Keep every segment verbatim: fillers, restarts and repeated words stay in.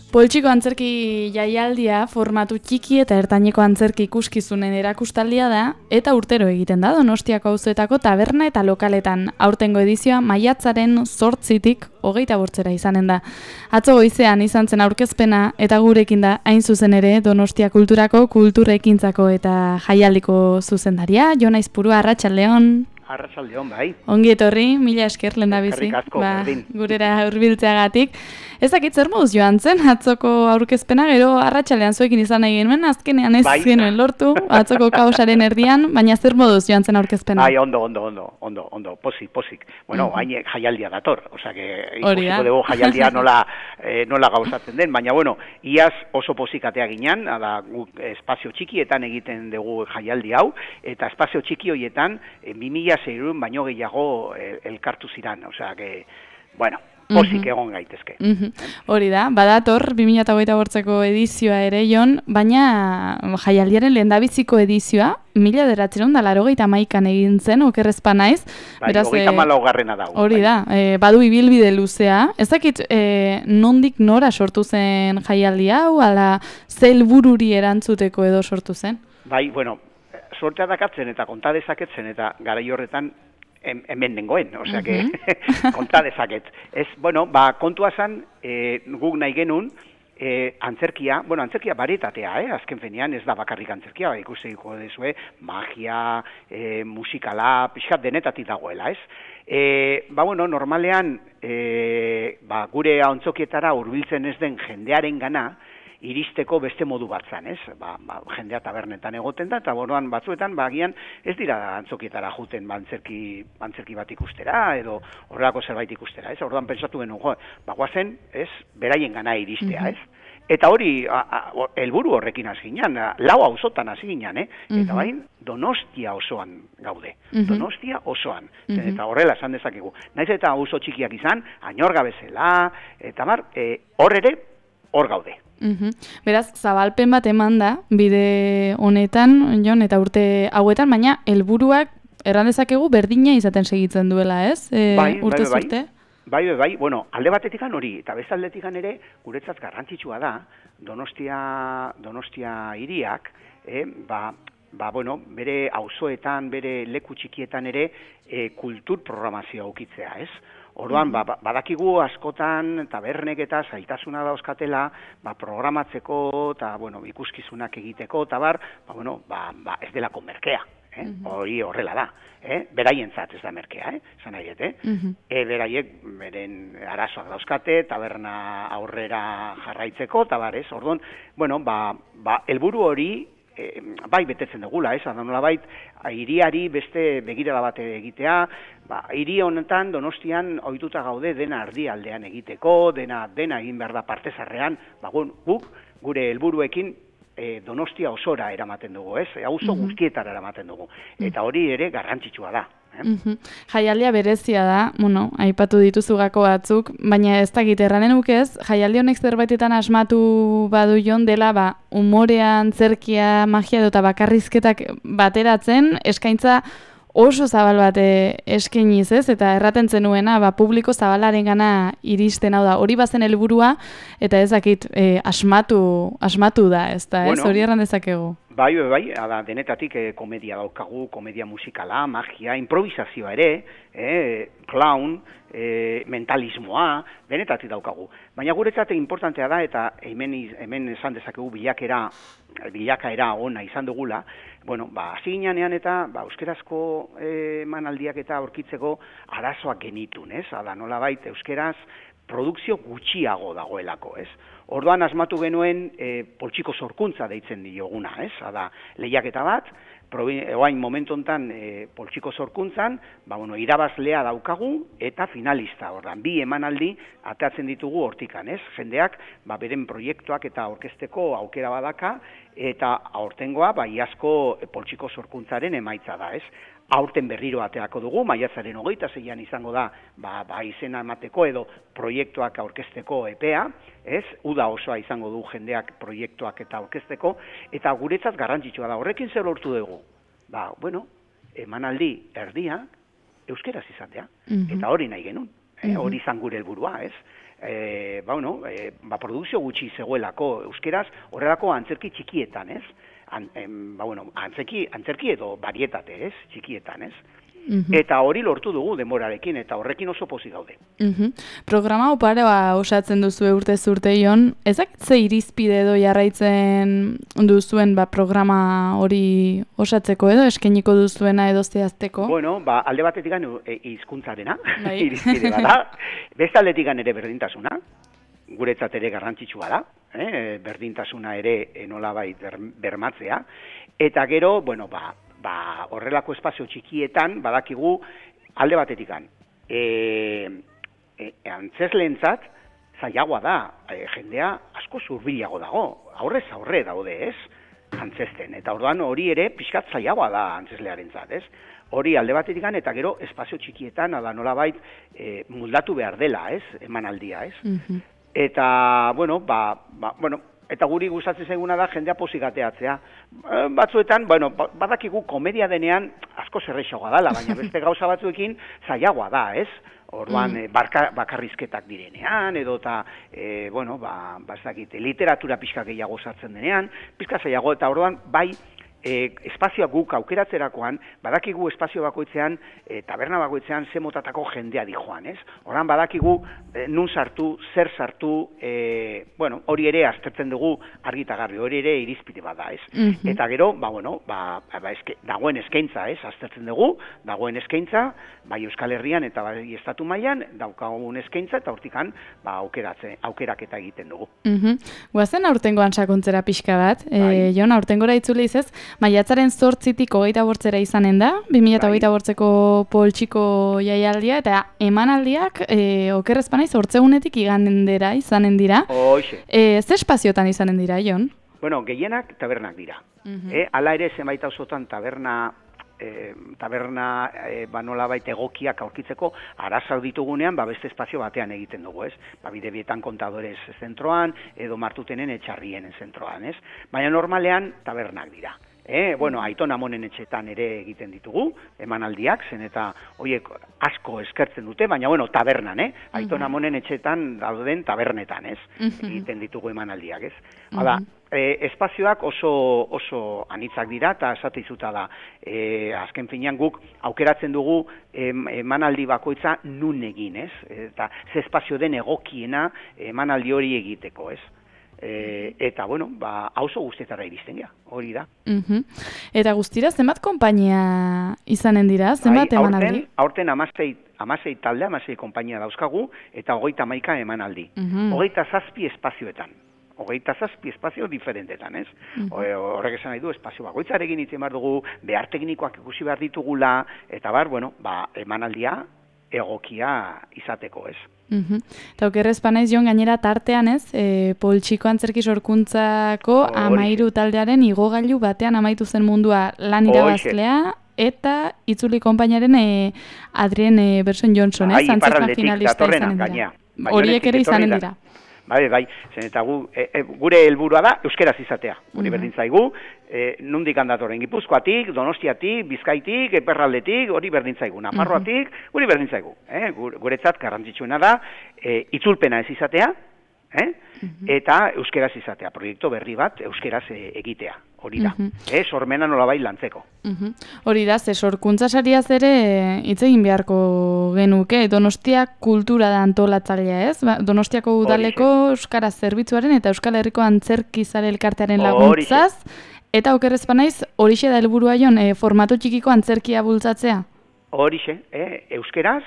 Poltsiko antzerki jaialdia formatu txiki eta ertaineko antzerki ikuskizunen erakustaldia da eta urtero egiten da Donostiako auzoetako taberna eta lokaletan. Aurtengo edizioa maiatzaren zortzitik hogeita bortzera izanen da. Atzo goizean izan zen aurkezpena eta gurekin da hain zuzen ere Donostia Kulturako kulturekintzako eta jaialdiko zuzendaria. Jon Aizpurua, arratsaldeon. Arratsaldeon, bai. Ongi etorri, mila esker lehendabizi. Eskerrik asko, berdin. Gurera hurbiltzeagatik. Ez dakit zer moduz joan zen, atzoko aurkezpena, gero arratsaldean zuekin izan nahi genuen, azkenean ez bai. genuen lortu, atzoko kaosaren erdian, baina zer moduz joan zen aurkezpena? Bai, ondo, ondo, ondo, ondo, ondo, posik, posik. Bueno, hain uh -huh. jaialdia dator, osea, que ikusiko dugu jaialdia nola, eh, nola gauzatzen den, baina, bueno, iaz oso posik atea ginen, da, guk espazio txikietan egiten dugu jaialdi hau, eta espazio txiki horietan, eh, bi mila seiehun baino gehiago eh, elkartu ziran, osea, que, bueno, posik egon gaitezke. Uh -huh. Hori da, badator bi mila hogeita bortzeko edizioa ere, Jon, baina jaialdiaren lehendabiziko edizioa, mila bederatziehun eta laurogeita hamaikan egin zen, okerrezpa naiz. Bai, hogeita hamalaugarrena da. Hori da, e, badu ibilbide luzea. Ez dakit, e, nondik nora sortu zen jaialdi hau, ala ze helbururi erantzuteko edo sortu zen? Bai, bueno, sortea dakatzen eta konta dezaketzen eta garai horretan hemen nengoen, osea, que konta dezaket. Ez, bueno, ba, kontua zan, e, guk nahi genuen, e, antzerkia, bueno, antzerkia baretatea, eh? Azken fenean ez da bakarrik antzerkia, ba, ikusiko dezue, magia, e, musikala, pixkat denetatik dagoela, ez? E, ba, bueno, normalean, e, ba, gure antzokietara hurbiltzen ez den jendearen gana, iristeko beste modu bat zan, ez? Ba, ba, jendea tabernetan egoten da, eta boruan batzuetan, ba, agian ez dira antzokietara juten ba, antzerki, antzerki bat ikustera, edo horrelako zerbait ikustera, ez? Orduan pentsatu genuen, jo, ba, guazen, ez? Beraien gana iristea, ez? Eta hori, helburu horrekin hasi ginen, lau auzotan hasi ginen, eh? Eta bain, Donostia osoan gaude. Donostia osoan. Eta horrela esan dezakegu. Naiz eta auzo txikiak izan, Añorga bezala, eta mar, e, hor ere, hor gaude. Uhum. Beraz, zabalpen bat eman da, bide honetan, Jon, eta urte hauetan, baina helburuak erran dezakegu berdina izaten segitzen duela, ez? E, bai, urte bai, bai, zurte? Bai, bai, bai, bueno, alde batetikan hori, eta beste aldetikan ere, guretzat garrantzitsua da, Donostia, Donostia hiriak, eh, ba, ba, bueno, bere auzoetan, bere leku txikietan ere, e, kultur programazioa ukitzea, ez? Orduan, ba, badakigu askotan tabernek eta zaitasuna dauzkatela, ba, programatzeko eta, bueno, ikuskizunak egiteko, eta bar, ba, bueno, ba, ba, ez delako merkea, eh? Hori horrela da, eh? Beraientzat ez da merkea, eh? Zan nahiet, eh? E, beraiek, beren arazoak dauzkate, taberna aurrera jarraitzeko, eta bar, ez? Orduan, bueno, ba, ba, helburu hori, E, bai betetzen dugula, ez, nola bait, hiriari beste begirada bat egitea, ba, hiri honetan Donostian ohituta gaude dena erdialdean egiteko, dena dena egin behar da partezarrean, ba, guk gure helburuekin e, Donostia osora eramaten dugu, ez, auzo guztietara eramaten dugu, eta hori ere garrantzitsua da. Eh? Uh-huh. Jaialdia berezia da, bueno, aipatu dituzu gako batzuk, baina ez dakit erranen ukez, jaialdi honek zerbaitetan asmatu badu Jon dela, ba, umorea, antzerkia, magia eta bakarrizketak bateratzen, eskaintza oso zabal bat eskainiz, ez? Eta erraten zenuena, ba, publiko zabalaren gana iristen, hau da, hori bazen helburua, eta ez dakit, e, asmatu, asmatu da, ez da, ez? Bueno, hori erran dezakegu. Bai, bai, bai, ada, denetatik eh, komedia daukagu, komedia musikala, magia, improvisazioa ere, eh, clown, eh, mentalismoa, denetatik daukagu. Baina guretzat importantea da, eta hemen, hemen esan dezakegu bilakera, bilakaera ona izan dugula, bueno, ba, hasi ginean eta, ba, euskerazko eh, manaldiak eta aurkitzeko arazoak genitun, ez? Ada, nola bait, euskeraz, produkzio gutxiago dagoelako, ez? Orduan asmatu genuen e, poltsiko sorkuntza deitzen dioguna, ez? Ada, lehiaketa bat, oain momentu honetan e, poltsiko sorkuntzan, ba, bueno, irabazlea daukagu eta finalista, ordan, bi emanaldi atatzen ditugu hortikan, ez? Jendeak, ba, beren proiektuak eta aurkezteko aukera badaka, eta aurtengoa, ba, iazko poltsiko sorkuntzaren emaitza da, ez? Aurten berriro ateako dugu, maiatzaren hogeita zeian izango da, ba, ba izena emateko edo proiektuak aurkezteko epea, ez? Uda osoa izango du jendeak proiektuak eta aurkezteko, eta guretzat garrantzitsua da. Horrekin zer lortu dugu? Ba, bueno, emanaldi erdia euskeraz izatea, eta hori nahi genuen, eh? Hori izan gure helburua, ez? e, ba, bueno, e, ba, produkzio gutxi zegoelako euskeraz, horrelako antzerki txikietan, ez? An, em, ba, bueno, antzerki, antzerki edo barietate, ez? Txikietan, ez? Mm-hmm. Eta hori lortu dugu denborarekin, eta horrekin oso pozik gaude. Mm-hmm. Programa oparoa osatzen duzu urte zurte Jon, ezak ze irizpide edo jarraitzen duzuen ba, programa hori osatzeko edo eskeniko duzuena edo zehazteko? Bueno, ba, alde batetik e, hizkuntzarena, bai. Irizpide bada, beste aldetik ere berdintasuna, guretzat ere garrantzitsua da, eh? Berdintasuna ere nolabait bermatzea, eta gero, bueno, ba, ba, horrelako espazio txikietan badakigu alde batetikan. E, e, antzesleentzat zailagoa da, e, jendea asko zurbilago dago, aurrez aurre daude, ez? Antzesten, eta orduan hori ere pixkat zailagoa da antzeslearentzat, ez? Hori alde batetikan eta gero espazio txikietan ala nolabait e, muldatu behar dela, ez? Emanaldia, ez? Mm-hmm. Eta, bueno, ba, ba, bueno, eta guri gustatzen zaiguna da jendea pozik ateatzea. Batzuetan, bueno, badakigu komedia denean asko zerrexagoa dela, baina beste gauza batzuekin zailagoa da, ez? Orduan, mm. barka, bakarrizketak direnean, edo eta, e, bueno, ba, bazakit, literatura pixka gehiago sartzen denean, pixka zailago, eta orduan, bai, E, espazioa guk aukeratzerakoan, badakigu espazio bakoitzean, e, taberna bakoitzean ze motatako jendea dijoan, ez? Horan badakigu e, nun sartu, zer sartu, e, bueno, hori ere aztertzen dugu argitagarri, hori ere irizpide bada, ez? Mm-hmm. Eta gero, ba, bueno, ba, ba eske, dagoen eskaintza, ez? Aztertzen dugu, dagoen eskaintza, bai Euskal Herrian eta bai estatu mailan daukagun eskaintza, eta hortikan, ba, aukeratze, aukeraketa egiten dugu. Mm-hmm. Guazen aurtengoan sakontzera pixka bat, bai. e, Jon, aurtengora itzuli izez, maiatzaren zortzitik hogeita bortzera izanen da, bi mila hogeita bortzeko poltsiko jaialdia, eta emanaldiak, e, okerrezpanaiz, hortzegunetik igandera izanen dira. Hoxe. E, ze espaziotan izanen dira, Jon? Bueno, gehienak tabernak dira. Uh-huh. E, ala ere zenbait auzotan taberna, e, taberna e, ba nolabait egokiak aurkitzeko arazoak ditugunean, ba beste espazio batean egiten dugu, ez? Ba Bidebietan Kontadores zentroan, edo Martutenen Etxarrienen zentroan, ez? Baina normalean tabernak dira. Eh, bueno, Aiton Amonen etxetan ere egiten ditugu, emanaldiak, zen eta horiek asko eskertzen dute, baina bueno, tabernan, eh? Aiton Amonen etxetan dauden tabernetan, ez? Egiten ditugu emanaldiak, ez? Hala, eh, espazioak oso oso anitzak dira, eta esate izuta da, eh, azken finean guk aukeratzen dugu em, emanaldi bakoitza nun egin, ez? Eta ze espazio den egokiena emanaldi hori egiteko, ez? E, eta, bueno, ba, auzo guztietara iristen gara, hori da. Uh-huh. Eta guztira, zenbat konpainia izanen dira, zenbat bai, emanaldi? Aurten amasei, amasei talde, amasei konpainia dauzkagu, eta hogeita hamaika emanaldi. Uh-huh. Hogeita zazpi espazioetan. Hogeita zazpi espazio diferentetan, ez? Uh-huh. Horrek esan nahi du, espazio bakoitzarekin itzen behar dugu, behar teknikoak ikusi behar ditugula, eta bar, bueno, ba, emanaldia egokia izateko, ez? Uhum. Eta okerrezpanaiz Jon gainera tartean ez, e, poltsiko antzerki sorkuntzako oh, amairu taldearen igogailu batean amaitu zen mundua lan irabazlea, eta itzuli konpainaren e, Adrien e, Berson Johnson, ez? Antzerklan finalista izanen dira. Horiek ere izanen dira. Bai, bai, zen eta gu, e, e, gure helburua da euskeraz izatea. Guri uh-huh. berdin zaigu, e, nundik handatorren Gipuzkoatik, Donostiatik, Bizkaitik, Eperraldetik, hori berdin zaigu. Nafarroatik, uh-huh. guri berdin zaigu. Eh? Guretzat garrantzitsuena da, e, itzulpena ez izatea, eh? uh-huh. eta euskeraz izatea. Proiektu berri bat euskeraz e, egitea. Hori da, uh-huh. eh, sormena nolabait lantzeko. Uh-huh. Hori da, ze sorkuntza sariaz ere hitz egin beharko genuke, Donostia kultura da antolatzailea, ez? Ba, Donostiako udaleko euskara zerbitzuaren eta Euskal Herriko antzerki zale elkartearen laguntzaz, eta okerrezpanaiz horixe da helburua Jon, e, formatu txikiko antzerkia bultzatzea? Horixe, eh, euskeraz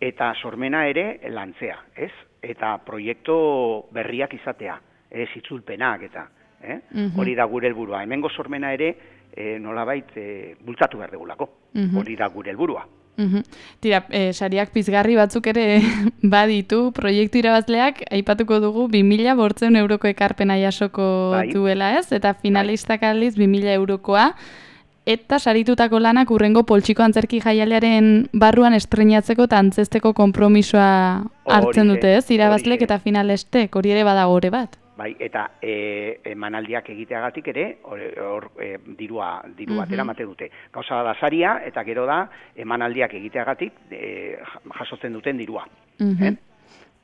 eta sormena ere lantzea, ez? Eta proiektu berriak izatea, ez itzulpenak eta Eh? Uh-huh. Hori da gure helburua. Hemengo sormena ere e, nolabait e, bultzatu behar degulako. Uh-huh. Hori da gure helburua. Uh-huh. Tira, e, sariak pizgarri batzuk ere baditu, proiektu irabazleak aipatuko dugu bi mila bortzeun euroko ekarpena jasoko bai. Duela, ez? Eta finalistak bai. Aldiz bi mila eurokoa. Eta saritutako lanak urrengo poltsiko antzerki jaialearen barruan estreinatzeko eta antzesteko konpromisoa hartzen dute, ez? Irabazlek eta finalestek, hori ere badago ore bat. Bai, eta e, emanaldiak egiteagatik ere, hor e, dirua, diru batera mate dute. Gauza da saria, eta gero da, emanaldiak egiteagatik e, jasotzen duten dirua. Uh-huh. eh?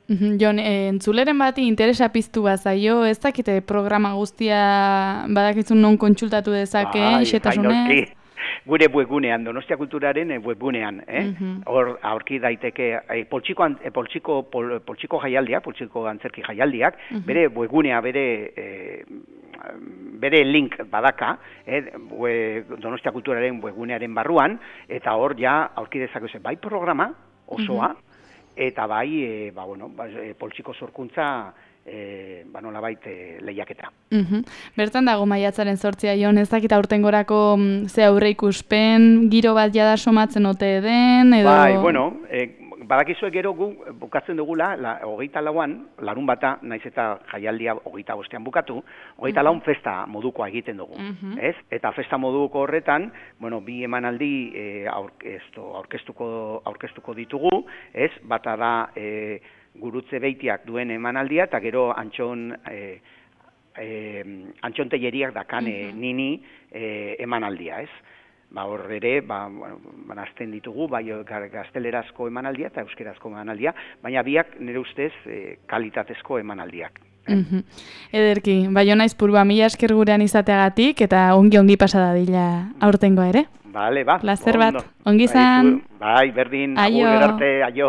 Jon, e, entzuleren bati interesa piztu bazaio, ez dakite programa guztia badakizun non kontsultatu dezake, bai, xetasunez? Gure webgunean, Donostia Kulturaren webgunean, eh? Hor aurki daiteke eh, poltsiko, eh, poltsiko, pol, poltsiko jaialdiak, poltsiko antzerki jaialdiak, uh-huh. bere webgunea, bere eh, bere link badaka, eh, we, Donostia Kulturaren webgunearen barruan, eta hor ja aurki dezakezu bai programa osoa, uh-huh. eta bai, e, ba, bueno, ba, e, poltsiko sorkuntza e, ba, nolabait e, lehiaketa. Uh-huh. Bertan dago maiatzaren sortzia, Jon, ez dakit aurtengorako ze aurre ikuspen, giro bat jada somatzen ote den, edo... Bai, bueno, e, badakizue gero gu bukatzen dugula, la, hogeita lauan, larun bata, naiz eta jaialdia hogeita bostean bukatu, hogeita uh-huh. laun festa modukoa egiten dugu, uh-huh. ez? Eta festa moduko horretan, bueno, bi emanaldi e, aurkeztu, aurkeztuko, aurkeztuko ditugu, ez? Bata da e, gurutze beitiak duen emanaldia, eta gero antxon... E, e, antxonteieriak dakan uh-huh. nini e, emanaldia, ez? Ba, hor ere, ba, bueno, banazten ditugu, bai gaztelerazko emanaldia eta euskerazko emanaldia, baina biak nire ustez e, kalitatezko emanaldiak. Eh? Mm-hmm. Ederki, Baiona Aizpurua, mila esker gurean izateagatik eta ongi-ongi pasada dila aurtengoa ere. Bale, ba. Plazer bat, ongi zan. Bai, berdin, agur, gerarte, aio.